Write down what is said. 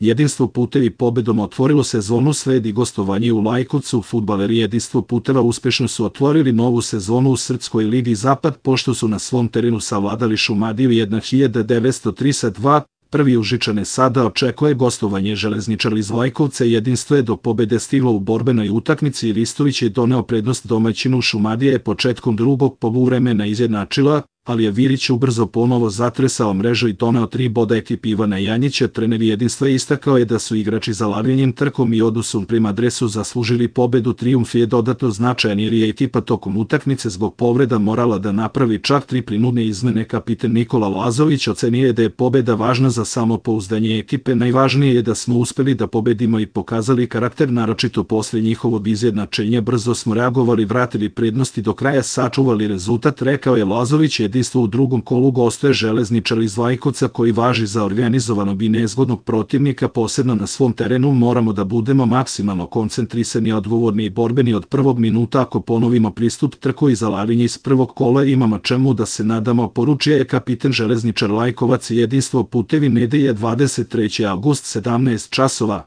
Jedinstvo putevi pobedom otvorilo sezonu sledi gostovanje u Lajkovcu. Fudbaleri Jedinstvo puteva uspešno su otvorili novu sezonu u Srpskoj ligi Zapad pošto su na svom terenu savladali Šumadiju 1932. Prvi Užičane sada očekuje gostovanje Železničara iz Lajkovca. Jedinstvo je do pobede stiglo u borbenoj utakmici i Ristović je doneo prednost domaćinu. Šumadija je početkom drugog poluvremena izjednačila, ali je Virić ubrzo ponovo zatresao mrežu i doneo 3 boda ekipi Ivana Janjića. Trener Jedinstva istakao je da su igrači zalagranjem, trkom i odnosom prema dresu zaslužili pobedu. Trijumf je dodatno značajan jer je ekipa tokom utakmice zbog povreda morala da napravi čak 3 prinudne izmene. Kapiten Nikola Lazović ocenio je da je pobeda važna za samopouzdanje ekipe. Najvažnije je da smo uspeli da pobedimo i pokazali karakter, naročito posle njihovog izjednačenja. Brzo smo reagovali, vratili prednosti, do kraja sačuvali rezultat, rekao je Lazović. Jedinstvo u drugom kolu gostuje Železničar iz Lajkovca koji važi za organizovanog i nezgodnog protivnika. Posebno na svom terenu moramo da budemo maksimalno koncentrisani, odgovorni i borbeni od prvog minuta. Ako ponovimo pristup trku i zalaganje iz prvog kola, imamo čemu da se nadamo, poručio je kapiten Železničar Lajkovac. Jedinstvo putevi nedelje 23. avgust 17 časova.